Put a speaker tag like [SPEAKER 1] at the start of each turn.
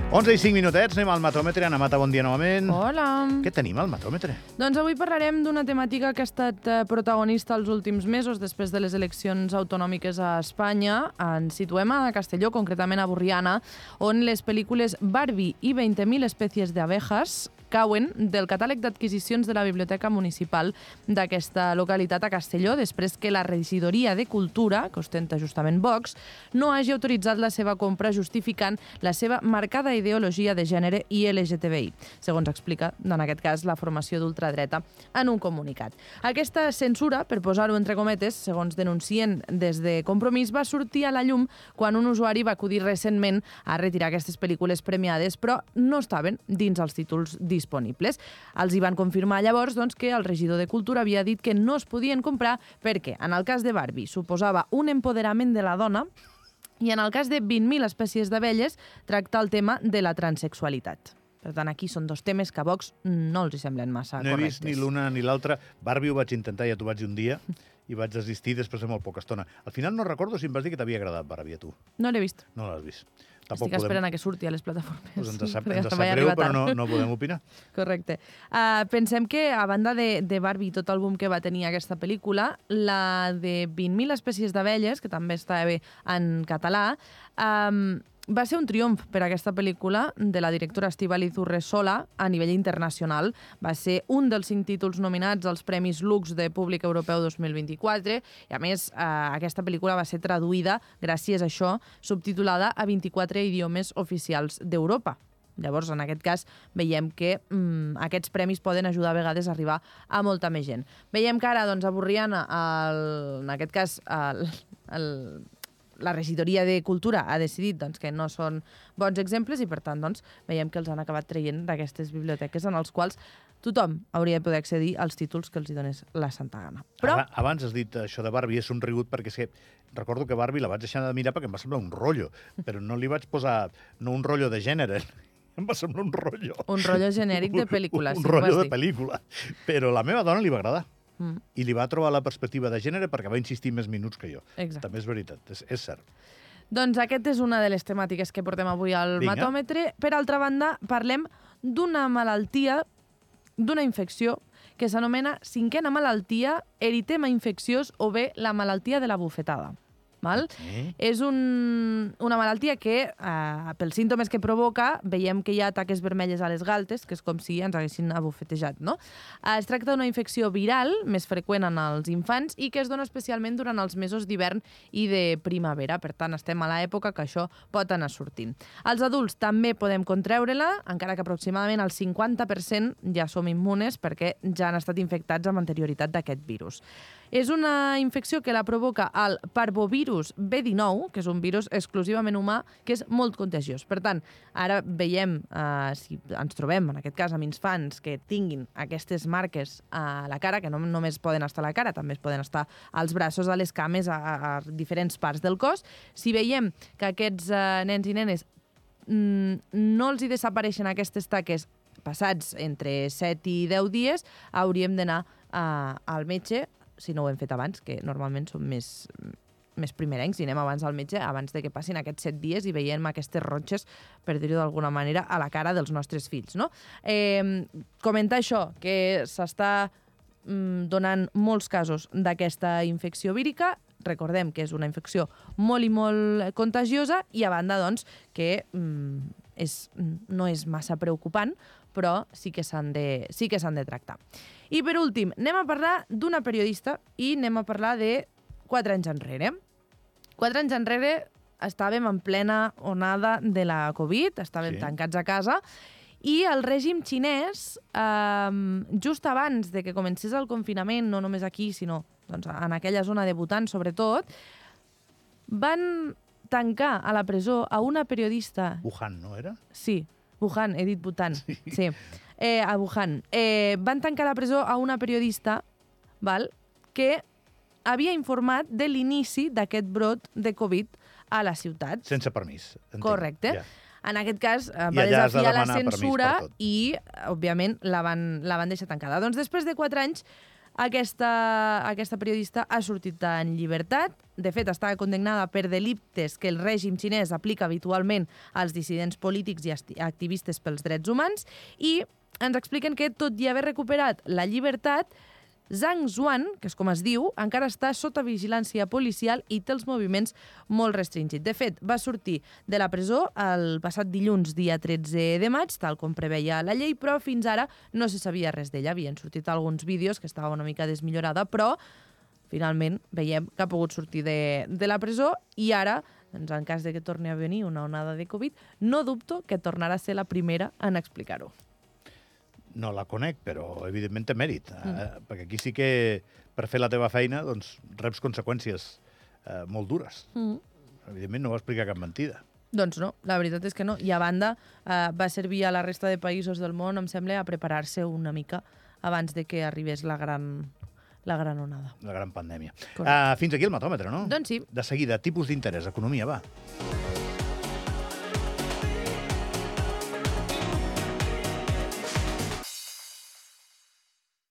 [SPEAKER 1] 11 i 5 minutets, anem al matòmetre. Anna Mata, bon dia novament.
[SPEAKER 2] Hola.
[SPEAKER 1] Què tenim al matòmetre?
[SPEAKER 2] Doncs avui parlarem d'una temàtica que ha estat protagonista els últims mesos després de les eleccions autonòmiques a Espanya. Ens situem a Castelló, concretament a Borriana, on les pel·lícules Barbie i 20.000 espècies d'abejas cauen del catàleg d'adquisicions de la Biblioteca Municipal d'aquesta localitat a Castelló, després que la Regidoria de Cultura, que ostenta justament Vox, no hagi autoritzat la seva compra justificant la seva marcada ideologia de gènere i LGTBI, segons explica, en aquest cas, la formació d'ultradreta en un comunicat. Aquesta censura, per posar-ho entre cometes, segons denuncien des de Compromís, va sortir a la llum quan un usuari va acudir recentment a retirar aquestes pel·lícules premiades, però no estaven dins els títols disponibles. Els hi van confirmar llavors que el regidor de Cultura havia dit que no es podien comprar perquè, en el cas de Barbie, suposava un empoderament de la dona i en el cas de 20.000 espècies d'abelles tracta el tema de la transexualitat. Per tant, aquí són dos temes que a Vox no els hi semblen massa correctes.
[SPEAKER 1] No he vist ni l'una ni l'altra. Barbie ho vaig intentar, ja t'ho vaig dir un dia, i vaig desistir després de molt poca estona. Al final no recordo si em vas dir que t'havia agradat Barbie a tu.
[SPEAKER 2] No l'he vist.
[SPEAKER 1] No l'has vist.
[SPEAKER 2] Estic esperant a que surti a les plataformes.
[SPEAKER 1] Pues ens sap greu, però no podem opinar.
[SPEAKER 2] Correcte. Pensem que, a banda de Barbie i tot el boom que va tenir aquesta pel·lícula, la de 20.000 espècies d'abelles, que també està bé en català, va ser un triomf per a aquesta pel·lícula de la directora Estíbaliz Urresola a nivell internacional. Va ser un dels 5 títols nominats als Premis Lux de Públic Europeu 2024 i, a més, aquesta pel·lícula va ser traduïda, gràcies a això, subtitulada a 24 idiomes oficials d'Europa. Llavors, en aquest cas, veiem que aquests premis poden ajudar a vegades a arribar a molta més gent. Veiem que ara, a Borriana, en aquest cas, la Regidoria de Cultura ha decidit que no són bons exemples i, per tant, veiem que els han acabat traient d'aquestes biblioteques en els quals tothom hauria de poder accedir als títols que els hi donés la santa gana. Però
[SPEAKER 1] Abans has dit això de Barbie, és un rigut perquè és que recordo que Barbie la vaig deixar de mirar perquè em va semblar un rotllo, però no li vaig posar un rotllo de gènere, em va semblar un rotllo.
[SPEAKER 2] Un rotllo genèric de pel·lícula.
[SPEAKER 1] Un rotllo de pel·lícula. Però a la meva dona li va agradar. I li va trobar la perspectiva de gènere perquè va insistir més minuts que jo.
[SPEAKER 2] Exacte.
[SPEAKER 1] També és veritat, és cert.
[SPEAKER 2] Doncs aquest és una de les temàtiques que portem avui al matòmetre. Per altra banda, parlem d'una malaltia, d'una infecció que s'anomena 5a malaltia, eritema infecciós o bé la malaltia de la bufetada. És una malaltia que, pels símptomes que provoca, veiem que hi ha taques vermelles a les galtes, que és com si ens haguessin abufetejat, no? Es tracta d'una infecció viral, més freqüent en els infants, i que es dona especialment durant els mesos d'hivern i de primavera. Per tant, estem a l'època que això pot anar sortint. Els adults també podem contreure-la, encara que aproximadament el 50% ja som immunes perquè ja han estat infectats amb anterioritat d'aquest virus. És una infecció que la provoca el parvovirus B19, que és un virus exclusivament humà, que és molt contagiós. Per tant, ara veiem, si ens trobem, en aquest cas, amb infants que tinguin aquestes marques a la cara, que no només poden estar a la cara, també es poden estar als braços, a les cames, a diferents parts del cos. Si veiem que aquests nens i nenes no els hi desapareixen aquestes taques passats entre 7 i 10 dies, hauríem d'anar al metge, si no ho hem fet abans, que normalment som més primerencs i anem abans al metge abans de que passin aquests 7 dies i veiem aquestes ronxes, per dir-ho d'alguna manera, a la cara dels nostres fills. Comentar això, que s'està donant molts casos d'aquesta infecció vírica. Recordem que és una infecció molt i molt contagiosa i, a banda, que no és massa preocupant, però sí que s'han de tractar. I, per últim, anem a parlar d'una periodista i anem a parlar de 4 anys enrere. 4 anys enrere estàvem en plena onada de la Covid, estàvem tancats a casa, i el règim xinès, just abans de que comencés el confinament, no només aquí, sinó en aquella zona de Bhutan, sobretot, van tancar a la presó a una periodista...
[SPEAKER 1] Wuhan, no era?
[SPEAKER 2] Sí, Wuhan, he dit Bhutan. Sí. A Wuhan. Van tancar a la presó a una periodista que havia informat de l'inici d'aquest brot de Covid a la ciutat.
[SPEAKER 1] Sense permís.
[SPEAKER 2] Correcte. En aquest cas, va desafiar la censura i, òbviament, la van deixar tancada. Doncs després de 4 anys, Aquesta periodista ha sortit en llibertat. De fet, estava condemnada per delictes que el règim xinès aplica habitualment als dissidents polítics i activistes pels drets humans, i ens expliquen que, tot i haver recuperat la llibertat, Zhang Zuan, que és com es diu, encara està sota vigilància policial i té els moviments molt restringits. De fet, va sortir de la presó el passat dilluns, dia 13 de maig, tal com preveia la llei, però fins ara no se sabia res d'ella. Havien sortit alguns vídeos que estava una mica desmillorada, però finalment veiem que ha pogut sortir de la presó, i ara, doncs, en cas de que torni a venir una onada de Covid, no dubto que tornarà a ser la primera en explicar-ho.
[SPEAKER 1] No la conec, però evidentment té mèrit, perquè aquí sí que per fer la teva feina doncs, reps conseqüències molt dures. Evidentment no va explicar cap mentida.
[SPEAKER 2] Doncs no, la veritat és que no. I a banda, va servir a la resta de països del món, em sembla, a preparar-se una mica abans de que arribés la gran onada.
[SPEAKER 1] La gran pandèmia.
[SPEAKER 2] Correcte.
[SPEAKER 1] Fins aquí el matòmetre, no?
[SPEAKER 2] Doncs sí.
[SPEAKER 1] De seguida, tipus d'interès, economia, va.